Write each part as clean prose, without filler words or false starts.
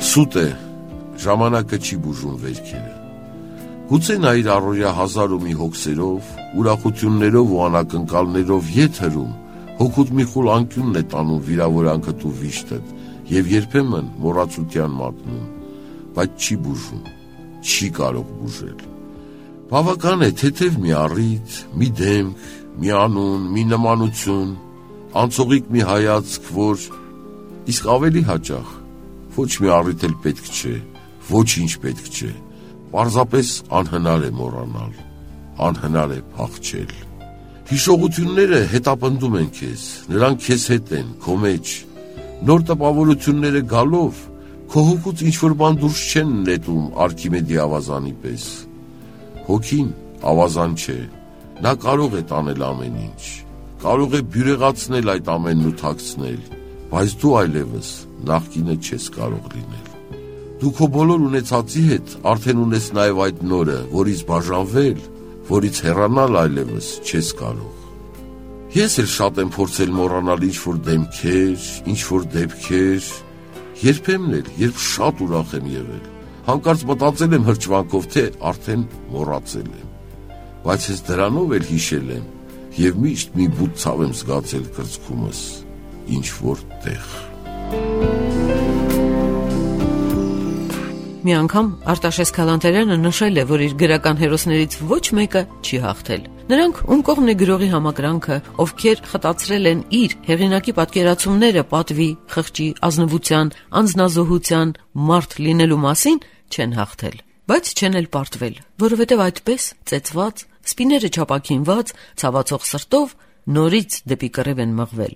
Սուտ է, ժամանակը չի բուժում վերքերը։ Գուցե նա իր առօրյա հազար ու մի հոգսերով, ուրախություններով ու անակնկալներով ետ հրում, հոգուտ մի խուլ անկյունն է տանում վիրավորանքդ ու վիշտդ և երբեմն մոռացության մատնում, բայց չի բուժում, չի կարող բուժել։ Բավական է թեթև մի առիթ, մի դեմք, մի անուն, մի նմանություն, անցողիկ մի հայացք, որ իսկ ավելի հաճախ ոչ մի առիթ էլ պետք չէ, ոչինչ պետք չէ, պարզապես անհնար է մոռանալ, անհնար է փախչել։ Հիշողությունները հետապնդում են քեզ, նրանք քեզ հետ են, քո մեջ, նոր տպավորությունները գալով, քո հոգուց ինչ-որ բան դուրս չեն նետում Արքիմեդի ավազանի պես։ Հոգին ավազան չէ, նա կարող է տանել ամեն ինչ, կարող է բյուրեղացնել այդ ամենն ու թաքցնել, բայց դու այլևս նախկինը չես կարող լինել։ Դու քո բոլոր ունեցածի հետ արդեն ունես նաև այդ նորը, որից բաժանվել, որից հեռանալ այլևս չես կարող։ Ես էլ շատ եմ փորձել մոռանալ ինչ-որ դեմքեր, ինչ-որ դեպքեր, երբեմն էլ, երբ շատ ուրախ եմ եղել, հանկարծ մտածել եմ հրճվանքով, թե արդեն մոռացել եմ, բայց ես դրանով էլ հիշել եմ և միշտ մի բուտ ցավ եմ զգացել կրծքումս, ինչ-որ տեղ։ Մի անգամ Արտաշես Քալանթարյանը նշել է, որ իր գրական հերոսներից ոչ մեկը չի հաղթել։ Նրանք, ում կողմն է գրողի համակրանքը, ովքեր խտացրել են իր հեղինակի պատկերացումները պատվի, խղճի, ազնվության, անձնազոհության, մարդ լինելու մասին, չեն հաղթել։ Բայց չեն էլ պարտվել, որովհետև այդպես ծեծված, սպիները չապաքինված, ցավացող սրտով նորից դեպի կռիվ են մղվել։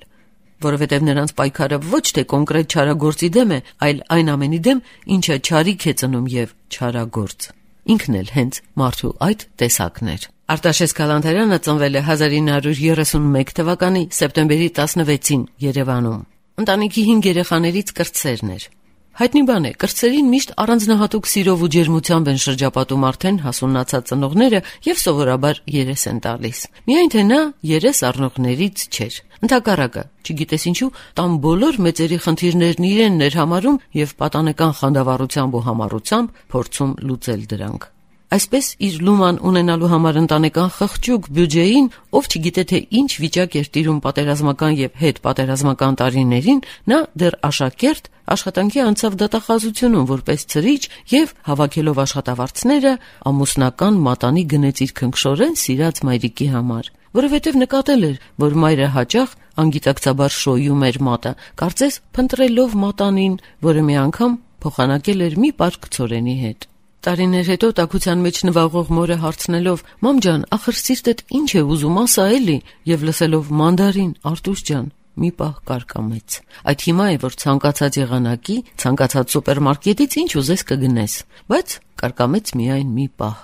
Որովհետև նրանց պայքարը ոչ թե կոնկրետ չարագործի դեմ է, այլ այն ամենի դեմ, ինչը չարիք է ծնում և չարագործ։ Ինքն էլ հենց մարդու այդ տեսակն էր։ Արտաշես Քալանթարյանը ծնվել է 1931 թվականի սեպտեմբերի 16-ին Երևանում։ Ընտանիքի 5 երեխաներից կրտսերն էր։ Հայտնի բան է, կրտսերին միշտ առանձնահատուկ սիրով ու ջերմությամբ են շրջապատում արդեն հասունացած ծնողները և սովորաբար երես են տալիս։ Միայն թե նա երես առնողներից չէր։ Ընդհակառակը, չգիտես ինչու, տան բոլոր մեծերի խնդիրներն իրենն էր համարում և պատանեկան խանդավառությամբ ու համառությամբ փորձում լուծել դրանք։ Այսպես իր լուման ունենալու համար ընտանեկան խղճուկ բյուջեին, ով չգիտե թե ինչ վիճակ էր տիրում պատերազմական և հետպատերազմական տարիներին, նա դեռ աշակերտ աշխատանքի անցավ դատախազությունում որպես ցրիչ և հավաքելով աշխատավարձները ամուսնական մատանի գնեց իր քնքշորեն սիրած մայրիկի համար, որովհետև նկատել էր, որ մայրը հաճախ անգիտակցաբար շոյում էր մատը, կարծես փնտրելով մատանին, որը մի անգամ փոխանակել էր մի պարկ ցորենի հետ։ Տարիներ հետո տաքության մեջ նվաղող մորը հարցնելով. «Մամ ջան, ախր սիրտդ ինչ է ուզում, ասա էլի», և լսելով «Մանդարին, Արտուշ ջան», մի պահ կարկամեց։ Այդ հիմա է, որ ցանկացած եղանակի, ցանկացած սուպերմարկետից ինչ ուզես կգնես, բայց կարկամեց միայն մի պահ։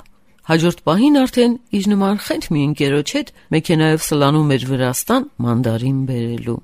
Հաջորդ պահին արդեն իր նման խենթ մի ընկերոջ հետ մեքենայով սլանում էր Վրաստան մանդարին բերելու։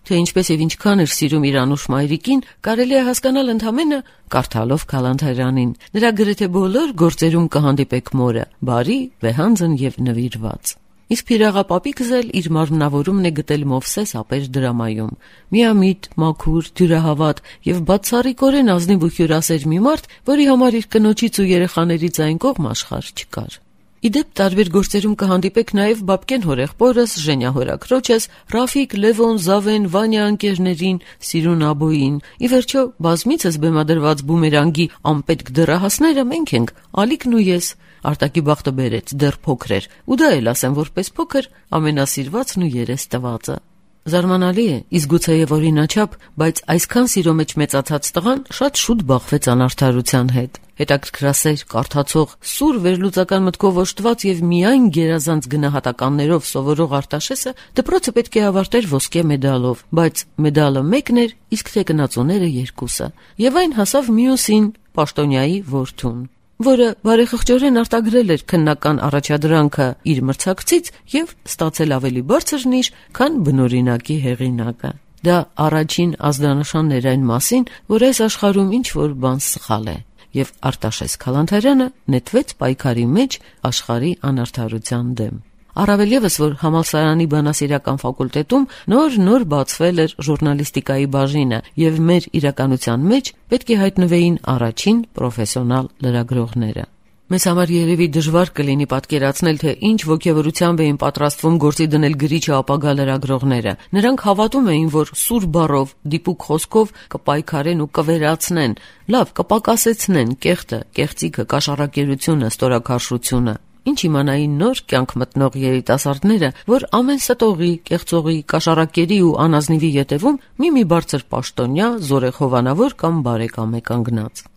Թե ինչպես և ինչքան էր սիրում իր անուշ մայրիկին, կարելի է հասկանալ ընդամենը կարդալով Քալանթարյանին։ Նրա գրեթե բոլոր գործերում կհանդիպեք մորը, բարի, վեհանձն և նվիրված։ Իսկ Փիրաղապապիկս էլ իր մարմնավորումն է գտել Մովսես ապեր դրամայում։ Միամիտ, մաքուր, դյուրահավատ և բացառիկորեն ազնիվ ու հյուրասեր մի մարդ, որի համար իր կնոջից ու երեխաներից այն կողմ աշխարհ չկար։ Իդեպ տարբեր գործերում կհանդիպեք նաև Բաբկեն հորեղբորս, Ժենյա հորաքրոջս, Ռաֆիկ, Լևոն, Զավեն, Վանյա ընկերներին, Սիրուն Աբոյին։ Ի վերջո, բազմիցս բեմադրված բումերանգի անպետք դեռահասները մենք ենք, Ալիկն ու ես։ Արտակի բախտը բերեց, դեռ փոքր էր, ու դա էլ ասեմ որպես փոքր, ամենասիրվածն ու երես տվածը։ Զարմանալի է, իսկ գուցեև օրինաչափ, բայց այսքան սիրո մեջ մեծացած տղան շատ շուտ բախվեց անարդարության հետ։ Հետաքրքրասեր, կարդացող, սուր վերլուծական մտքով օժտված և միայն գերազանց գնահատականներով սովորող Արտաշեսը դպրոցը պետք է ավարտեր ոսկե մեդալով, բայց մեդալը մեկն էր, իսկ թեկնածուները երկուսը, և այն հասավ մյուսին, պաշտոնյայի որդուն, որը բարեխղճորեն արտագրել էր քննական առաջադրանքը իր մրցակցից և ստացել ավելի բարձր նիշ, քան բնօրինակի հեղինակը։ Դա առաջին ազդանշանն էր այն մասին, որ այս աշխարհում ինչ-որ բան սխալ է, և Արտաշես Քալանթարյանը նետվեց պայքարի մեջ աշխարհի անարդարության դեմ։ Առավել ևս, որ համալսարանի բանասիրական ֆակուլտետում նոր բացվել էր ժուրնալիստիկայի բաժինը, եւ մեր իրականության մեջ պետք է հայտնվեին առաջին պրոֆեսիոնալ լրագրողները։ Մեզ համար երևի դժվար կլինի պատկերացնել, թե ինչ ոգևորությամբ էին պատրաստվում գործի դնել գրիչը ապագա լրագրողները։ Նրանք հավատում էին, որ սուր բառով, դիպուկ խոսքով կպայքարեն ու կվերացնեն, լավ, կպակասեցնեն կեղտը, կեղծիքը, կաշառակերությունը, ստորաքարշությունը։ Ինչ իմանային նոր կյանք մտնող երիտասարդները, որ ամեն ստողի, կեղծողի, կաշառակերի ու անազնիվի ետևում մի բարձր պաշտոնյա, զորեղհովանավոր կամ բարեկամ է կանգնած։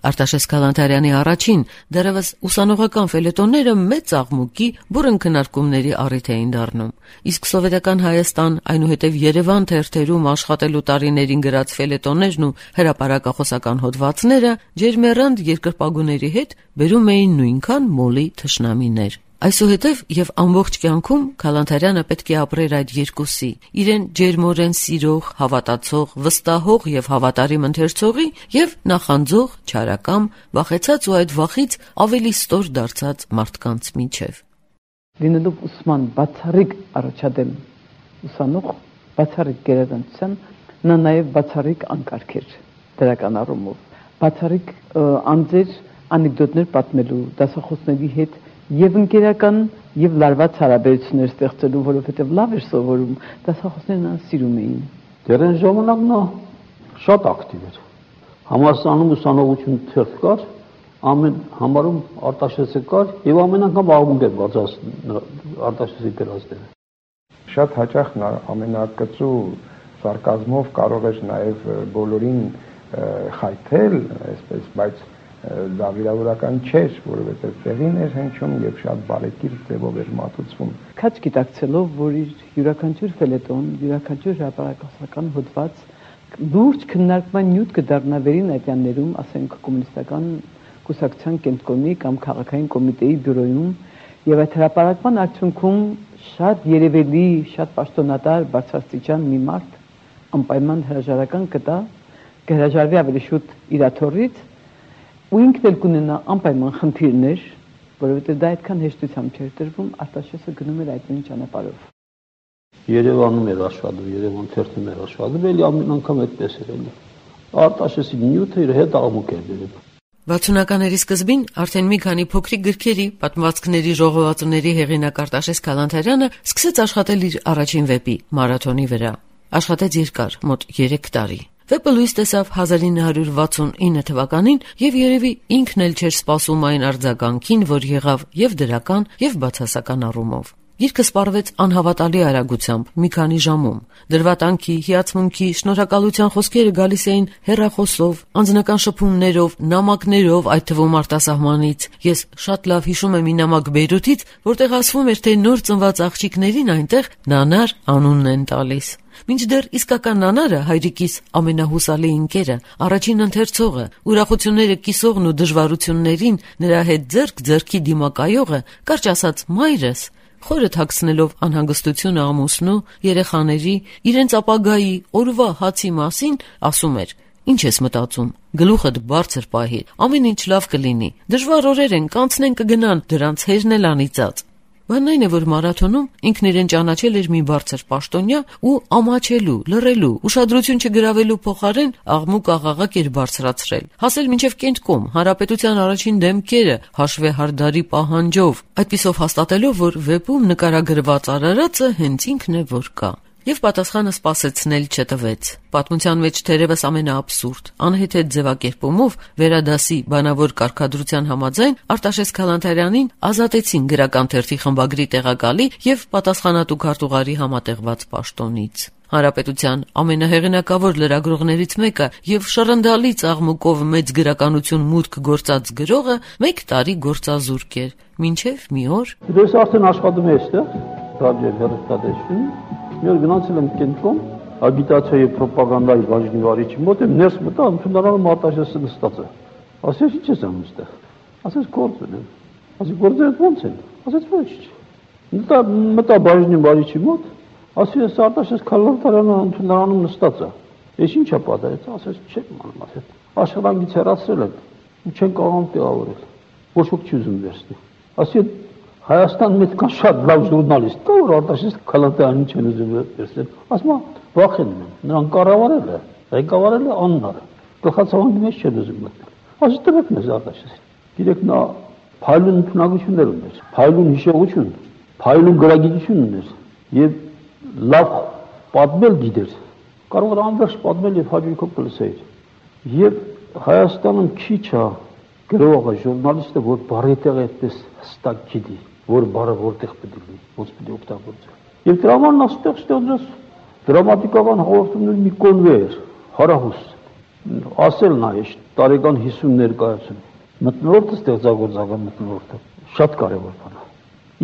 Արտաշես Քալանթարյանի առաջին, դեռևս ուսանողական ֆելետոնները մեծ աղմուկի բուռն քննարկումների առիթ էին դառնում, իսկ սովետական Հայաստան, այնուհետև Երևան թերթերում աշխատելու տարիներին գրած ֆելետոններն ու հրապարակախոսական հոդվածները ջերմեռանդ երկրպագուների հետ բերում էին նույնքան մոլի թշնամիներ։ Այսուհետև եւ ամբողջ կյանքում Քալանթարյանը պետք է ապրեր այդ երկուսի՝ իրեն ջերմորեն սիրող, հավատացող, վստահող եւ հավատարիմ ընթերցողի եւ նախանձող, չարակամ, վախեցած ու այդ վախից ավելի ստոր դարձած մարդկանց միջև։ Լինելով ուսման բացառիկ առաջադեմ ուսանող, բացառիկ գերազանցության, նա նաեւ բացառիկ անկարգ էր դրական առումով, բացառիկ անձեր անեկդոտներ պատմելու դասախոսների հետ եւ ընկերական եւ լարված հարաբերություններ ստեղծելու, որովհետեւ լավ էր սովորում, դասախոսներն այն սիրում էին։ Դեռ այն ժամանակ նա շատ ակտիվ էր։ Համալսարանում ուսանողություն թերթ կար, ամեն համարում Արտաշեսը կար եւ ամեն անգամ աղմուկ էր բացած Արտաշեսի գրածները։ Շատ հաճախ նա ամենակծու սարկազմով կարող էր նաեւ բոլորին խայթել, այսպես, բայց դա վիրավորական չէր, որովհետև տեղին էր հնչում եւ շատ բարեկիրթ ձևով էր մատուցվում։ Քաչ գիտակցելով, որ իր յուրաքանչյուր ֆելետոն, յուրաքանչյուր հրապարակասական հոդված լուրջ քննարկման նյութ կդառնա վերին այդյաններում, ասենք կոմունիստական կուսակցության կենտրոնի կամ քաղաքային կոմիտեի բյուրոյում, եւ այդ հրապարակման արդյունքում շատ երևելի, շատ պաշտոնատար բարձրաստիճան մի մարդ անպայման հրաժարական կտա, կհրաժարվի ավելի շուտ իր աթոռից ու ինքն էլ կունենա անպայման խնդիրներ, որովհետև դա այդքան հեշտությամբ չէր տրվում, Արտաշեսը գնում էր այդ նույն ճանապարհով։ Երևանում էր աշխատում, Երևան թերթում էր աշխատում, էլի ամեն անգամ այդպես էր էլի։ Արտաշեսի նյութը իր հետ աղմուկ էր բերում։ 60-ականների սկզբին արդեն մի քանի փոքրիկ գրքերի, պատմվածքների ժողովածուների հեղինակ Արտաշես Քալանթարյանը սկսեց աշխատել իր առաջին վեպի՝ Մարաթոնի վրա։ Աշխատեց երկար, մոտ 3 տարի։ Վեպը լույս տեսավ 1969 թվականին եւ երևի ինքն էլ չէր սպասում այն արձագանքին, որ եղավ եւ դրական եւ բացասական առումով։ Գիրքը սպառվեց անհավատալի արագությամբ, մի քանի ժամում։ Դրվատանքի, հիացմունքի, շնորհակալության խոսքերը գալիս էին հեռախոսով, անձնական շփումներով, նամակներով, այդ թվում արտասահմանից։ Ես շատ լավ հիշում եմ մի նամակ Բեյրութից, որտեղ ասվում էր, թե նոր ծնված աղջիկներին այնտեղ Նանար անունն են տալիս։ Մինչդեռ իսկական Նանարը, հայրիկիս ամենահուսալի ընկերը, առաջին ընթերցողը, ուրախությունները կիսողն ու դժվարություններին նրա հետ ձեռք ձեռքի դիմակայողը, կարճ ասած մայրս, խորը թաքցնելով անհանգստությունը ամուսնու, երեխաների, իրենց ապագայի, օրվա հացի մասին, ասում էր. «Ինչ ես մտածում, գլուխդ բարձր պահիր, ամեն ինչ լավ կլինի, դժվար օրեր են, կանցնեն կգնան, դրանց հերն էլ անիծած»։ Բանն այն է, որ մարաթոնում ինքն իրեն ճանաչել էր մի բարձր պաշտոնյա ու ամաչելու, լռելու, ուշադրություն չգրավելու փոխարեն աղմուկ աղաղակ էր բարձրացրել, հասել մինչև Կենտկոմ, Հանրապետության առաջին դեմքերը, հաշվեհարդարի պահանջով, այդպիսով հաստատելով, որ վեպում նկարագրված արարածը հենց ինքն է, որ կա։ Եվ պատասխանը սպասեցնել չտվեց։ Պատմության մեջ թերևս ամենաաբսուրդ, անհեթեթ ձևակերպումով վերադասի բանավոր կարգադրության համաձայն Արտաշես Քալանթարյանին ազատեցին գրական թերթի խմբագրի տեղակալի եւ պատասխանատու քարտուղարի համատեղված պաշտոնից։ Հանրապետության ամենահեղինակավոր լրագրողներից մեկը եւ շռնդալից աղմուկով մեծ գրականություն մուտք գործած գրողը 1 տարի գործազուրկ էր, մինչեւ մի օր Ես արդեն աշխատում եմ այստեղ, ռադիո հեռուստատեսություն։ Մի օր գնացել եմ Կենտկոմ, ագիտացիա եւ ռոպագանդայի բաժնի վարիչի մոտ եմ ներս մտա, ընդունարանում Արտաշեսը նստած է։ Ասես ի՞նչ ես անում այստեղ։ Ասես գործ ունեմ։ Ասի գործերը ո՞նց են։ Ասես ոչ։ Մտա բաժնի վարիչի մոտ, ասի ես Արտաշես Քալանթարյանը ընդունարանում նստած է։ Ես ի՞նչ է պատահեց։ Ասես չեմ անում, ասես։ Աշխատանքից հեռացրել եմ ու չեն կարող տեղավորել։ Ոչ ոք չի ուզում վերցնել։ Ասի Հայաստանում այդքան շատ լավ ժուրնալիստ կա, որ Արտաշես Քալանթայանին չեն ուզում վերցնել։ Ասում են, վախենում են, նրան կառավարել է, ղեկավարել է աննար։ Գլխացավանքի մեջ չեն ուզում մտնել։ Ասի տվեք մեզ Արտաշեսին։ Գիտեք նա փայլուն ընդունակություններ ուներ, փայլուն հիշողություն, փայլուն գրագիտություն ուներ եւ լավ պատմել գիտեր։ Կարող էր անվերջ պատմել եւ հաջողությամբ կլսեիր։ Եվ Հայաստանում քիչ է գրողը, ժուրնալիստը, որ բառի տեղ այդպես հստակ գիտի, որ բառը որտեղ պետք է լինի, ոնց պետք է օգտագործել։ Եվ դրա համար նա ստեղծեց դրամատիկական հաղորդումների մի կոնվեյեր, հարահուս, ասել նայ տարեկան 50 ներկայացում։ Մթնոլորտը ստեղծագործական մթնոլորտը շատ կարևոր բան է։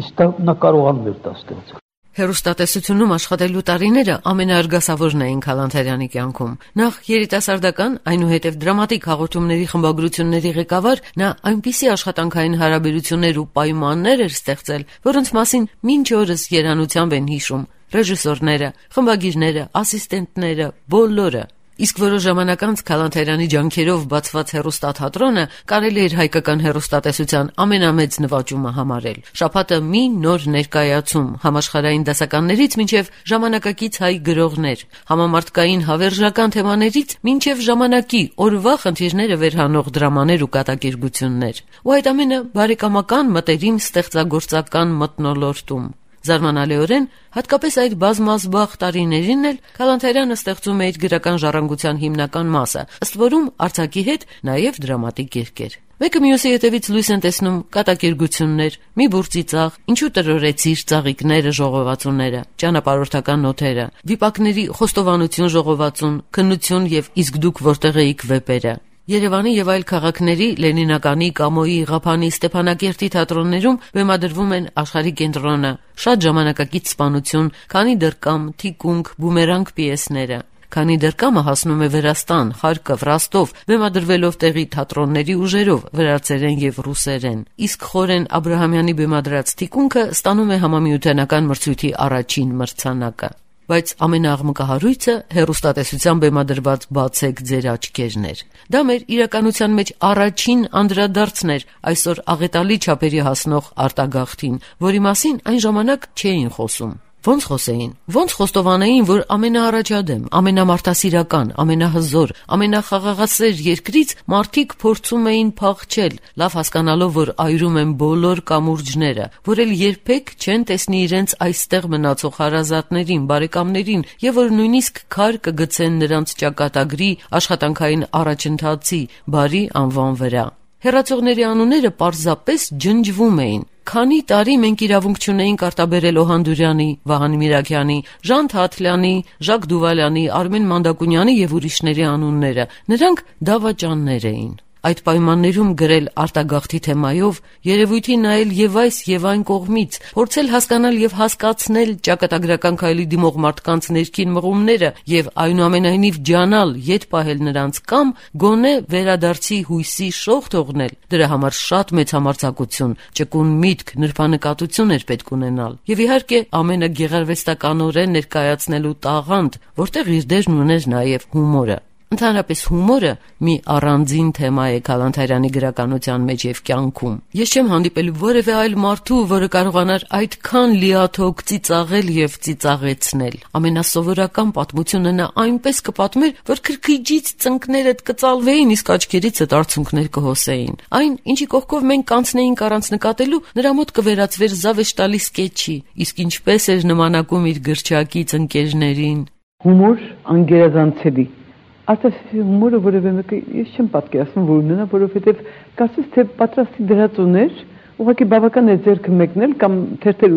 Իսկ նա կարողանում էր դա ստեղծել։ Հեռուստատեսությունում աշխատելու տարիները ամենաարգասավորն էին Քալանթարյանի կյանքում։ Նախ երիտասարդական, այնուհետև դրամատիկ հաղորդումների խմբագրությունների ղեկավար, նա այնպիսի աշխատանքային հարաբերություններ ու պայմաններ էր ստեղծել, որոնց մասին մինչ օրս երանությամբ են հիշում ռեժիսորները, խմբագիրները, ասիստենտները, բոլորը։ Իսկ որոշ ժամանակ անց Քալանթարյանի ջանքերով բացված հեռուստաթատրոնը կարելի էր հայկական հեռուստատեսության ամենամեծ նվաճումը համարել։ Շաբաթը մի նոր ներկայացում, համաշխարհային դասականներից մինչև ժամանակակից հայ գրողներ, համամարտկային հավերժական թեմաներից մինչև ժամանակի օրվա խնդիրները վերհանող դրամաներ ու կատակերգություններ։ Ու այդ ամենը բարեկամական, մտերիմ, ստեղծագործական մթնոլորտում։ Զարմանալիորեն, հատկապես այդ բազմազբաղ տարիներին էլ Քալանթարյանը ստեղծում է իր գրական ժառանգության հիմնական մասը, ըստ որում արձակի հետ նաև դրամատիկ երգեր։ Մեկը մյուսի հետևից լույս են տեսնում կատակերգություններ, մի բուրծի ծաղ, ինչու տրորեցիր ծաղիկները ժողովածուները, ճանապարհորդական նոթերը, վիպակների խոստովանություն ժողովածուն, քննություն եւ իսկ դուք որտեղ էիք վեպերը։ Երևանի եւ այլ քաղաքների Լենինականի, Կամոյի, Ղափանի, Ստեփանակերտի թատրոններում բեմադրվում են Աշխարհի կենտրոնը, շատ ժամանակակից սպանություն, քանի դրկամ, թիկունք, բումերանգ պիեսները։ Քանի դրկամը հասնում է Վրաստան, Խարկով, Ռոստով, բեմադրվելով տեղի թատրոնների ուժերով, վրացերեն եւ ռուսերեն։ Իսկ Խորեն Աբրահամյանի բեմադրած թիկունքը ստանում է համամիությանական մրցույթի առաջին մրցանակը։ Բայց ամենաաղմկահարույցը հեռուստատեսության բեմադրված «Բացեք ձեր աչքերն» էր։ Դա մեր իրականության մեջ առաջին անդրադարձն էր այսօր աղետալի չափերի հասնող արտագաղթին, որի մասին այն ժամանակ չէին խոսում։ Ոնց խոսեին, ոնց խոստովանեին, որ ամենաառաջադեմ, ամենամարդասիրական, ամենահզոր, ամենախաղաղասեր երկրից մարդիկ փորձում էին փախչել, լավ հասկանալով, որ այրում են բոլոր կամուրջները, որ էլ երբեք չեն տեսնի իրենց այստեղ մնացող հարազատներին, բարեկամներին, եւ որ նույնիսկ քար կգցեն նրանց ճակատագրի, աշխատանքային առաջընթացի, բարի անվան վրա։ Հեռացողների անունները պարզապես ջնջվում էին։ Քանի տարի մենք իրավունք չունեինք արտաբերել Օհանդուրյանի, Վահան Միրաքյանի, Ժան Թաթլյանի, Ժակ Դուվալյանի, Արմեն Մանդակունյանի եւ ուրիշների անունները։ Նրանք դավաճաններ էին։ Այդ պայմաններում գրել արտագաղթի թեմայով, երևույթի նայել եւ այս եւ այն կողմից, փորձել հասկանալ եւ հասկացնել ճակատագրական քայլի դիմող մարդկանց ներքին մղումները եւ այնուամենայնիվ ջանալ, ետ պահել նրանց կամ գոնե վերադարձի հույսի շող թողնել։ Դրա համար շատ մեծ համարձակություն, ճկուն միտք, նրբանկատություն էր պետք ունենալ։ Եվ իհարկե ամենը գեղարվեստականորեն ներկայացնելու տաղանդ, որտեղ իր դերն ուներ նաեւ հումորը։ Ընդհանրապես հումորը մի առանձին թեմա է Քալանթարյանի գրականության մեջ եւ կյանքում։ Ես չեմ հանդիպել որևէ այլ մարդու, որը կարողանար այդքան լիաթոք ծիծաղել եւ ծիծաղեցնել։ Ամենասովորական պատմությունը նա այնպես կպատմեր, որ քրքիջից ծնկներդ կծալվեին, իսկ աչքերիցդ արցունքներ կհոսեին։ Այն, ինչի կողքով մենք կանցնեինք առանց նկատելու, նրա մոտ կվերածվեր զավեշտալի սկեչի, իսկ ինչպես էր նմանակում իր գրչակից ընկերներին։ Հումոր անգերազանցելի Արտասի հումորը որևէ մեկը ես չեմ պատկերացնում, որ ունենա, որովհետև կարծես թե պատրաստի դրած ուներ, ուղղակի բավական է ձեռքը մեկնել կամ թերթել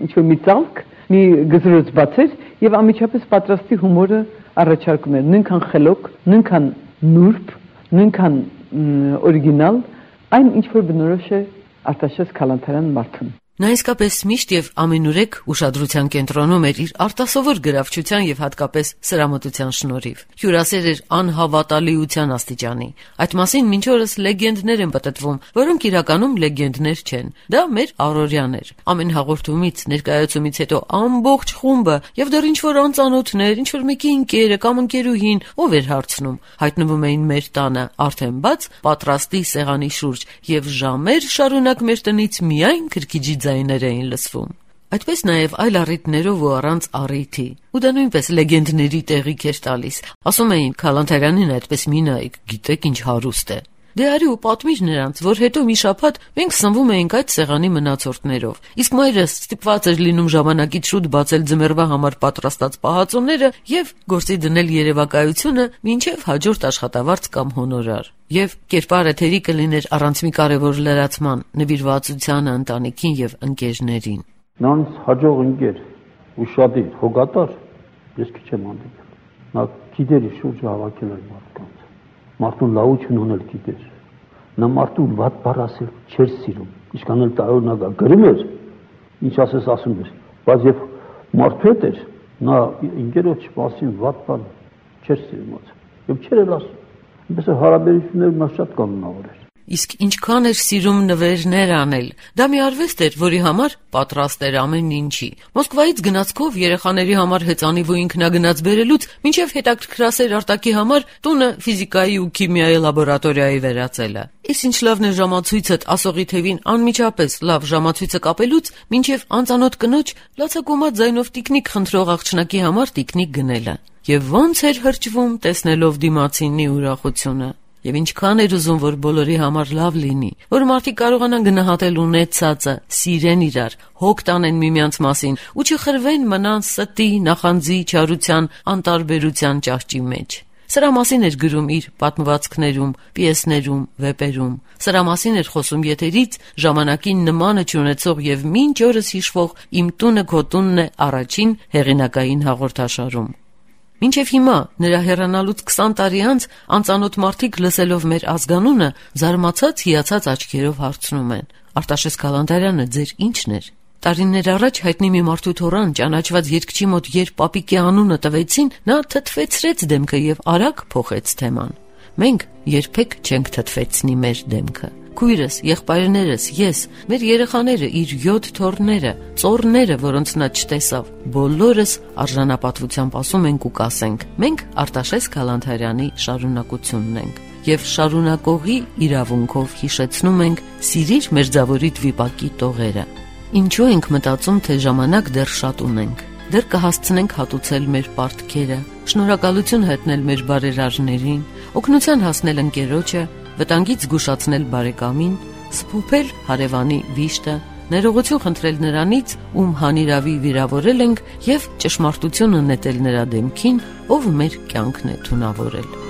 ինչ-որ մի ծալք, մի գզրոց բացեր եւ անմիջապես պատրաստի հումորը առաջարկում էր, նույնքան խելոք, նույնքան նուրբ, նույնքան օրիգինալ, այն ինչ որ բնորոշ է Արտաշես Քալանթարյան մարդուն։ Նա իսկապես միշտ եւ ամենուրեք ուշադրության կենտրոնում էր իր արտասովոր գրավչության եւ հատկապես սրամտության շնորհիվ։ Հյուրասեր էր անհավատալիության աստիճանի։ Այդ մասին մինչ օրս լեգենդներ են պատտվում, որոնք իրականում լեգենդներ չեն։ Դա մեր առօրյան էր։ Ամեն հաղորդումից, ներկայացումից հետո ամբողջ խումբը եւ դեռ ինչ-որ անծանոթներ, ինչ-որ մեկի ընկերը կամ ընկերուհին, ով էր հարցնում, հայտնվում էին մեր տանը, արդեն բաց, պատրաստի սեղանի շուրջ եւ ժամեր շարունակ մեր տնից միայն քրքիջի ձայներ էին լսվում։ Այդպես նաև այլ առիթներով ու առանց առիթի։ Ու դա նույնպես լեգենդների տեղիք էր տալիս։ Ասում էին Քալանթարյանին այդպես մի նայեք, գիտեք ինչ հարուստ է։ Դե արի ու պատմիր նրանց, որ հետո մի շաբաթ մենք սնվում էինք այդ սեղանի մնացորդներով։ Իսկ մայրս ստիպված էր լինում ժամանակից շուտ բացել ձմեռվա համար պատրաստած պահածոները եւ գործի դնել երևակայությունը մինչեւ հաջորդ աշխատավարձ կամ հոնորար։ Եվ կերպարը թերի կլիներ առանց մի կարևոր լրացման, նվիրվածությանը ընտանիքին եւ ընկերներին։ Նրանց հաջող ընկեր, ուշադիր, հոգատար, ես քիչ եմ հանդիպել։ Նա գիտեր շուրջը հավաքել էր մարդկանց։ Մարդուն լավություն ունել գիտեր։ Նա մարդուն վատ բառ ասել չէր սիրում։ Ինչքան էլ տարօրինակ գրում էր, ինչ ասես ասում էր, բայց երբ մարդու հետ էր, նա ինքերոջ մասին վատ բառ չէր սիրում ասել։ Եվ չէր էլ ասում։ Այնպես հարաբերությունները նա շատ կանոնավոր էր։ Իսկ ինչքան էր սիրում նվերներ անել։ Դա մի արվեստ էր, որի համար պատրաստ էր ամեն ինչի։ Մոսկվայից գնացքով երեխաների համար հեծանիվ ու ինքնագնաց բերելուց մինչև հետաքրքրասեր արտակի համար տունը ֆիզիկայի ու քիմիայի լաբորատորիայի վերածելը։ Իսկ ինչ լավն է ժամացույցդ ասողի թևին անմիջապես լավ ժամացույցը կապելուց մինչև անծանոթ կնոջ լացակոմած ձայնով տիկնիկ խնդրող աղջնակի համար տիկնիկ գնելը։ Եվ ոնց էր հրճվում տեսնելով դիմացինի ուրախությունը։ Եվ ինչքան էր ուզում, որ բոլորի համար լավ լինի, որ մարդիկ կարողանան գնահատել ունեցածը, սիրեն իրար, հոգ տանեն միմյանց մասին ու չխրվեն մնան ստի, նախանձի, չարության, անտարբերության ճահճի մեջ։ Սրա մասին էր գրում իր պատմվածքներում, պիեսներում, վեպերում։ Սրա մասին էր խոսում եթերից ժամանակին նմանը չունեցող եւ մինչ օրս հիշվող «Իմ տունը քո տունն է» առաջին հեղինակային հաղորդաշարում։ Մինչև հիմա, նրա հեռանալուց 20 տարի անց, անծանոթ մարդիկ լսելով մեր ազգանունը, զարմացած հիացած աչքերով հարցնում են. Արտաշես Քալանթարյանը ձեր ի՞նչն էր։ Տարիներ առաջ հայտնի մի մարդու թորան ճանաչված երգչի մոտ երբ պապիկի անունը տվեցին, նա թթվեցրեց դեմքը եւ արագ փոխեց թեման։ Մենք երբեք չենք թթվեցնի մեր դեմքը։ Քույրս, եղբայրներս, ես, մեր երեխաները, իր 7 թոռները, ծոռները, որոնց նա չտեսավ, բոլորս արժանապատվությամբ ասում ենք ու կասենք. մենք Արտաշես Քալանթարյանի շարունակությունն ենք եւ շարունակողի իրավունքով հիշեցնում ենք սիրիր մերձավորիդ վիպակի տողերը։ Ինչու ենք մտածում, թե ժամանակ դեռ շատ ունենք, դեռ կհասցնենք հատուցել մեր պարտքերը, շնորհակալություն հայտնել մեր բարերարներին, օգնության հասնել ընկերոջը, վտանգից զգուշացնել բարեկամին, սփոփել հարևանի վիշտը, ներողություն խնդրել նրանից, ում հանիրավի վիրավորել ենք, եւ ճշմարտությունը նետել նրա դեմքին, ով մեր կյանքն է թունավորել։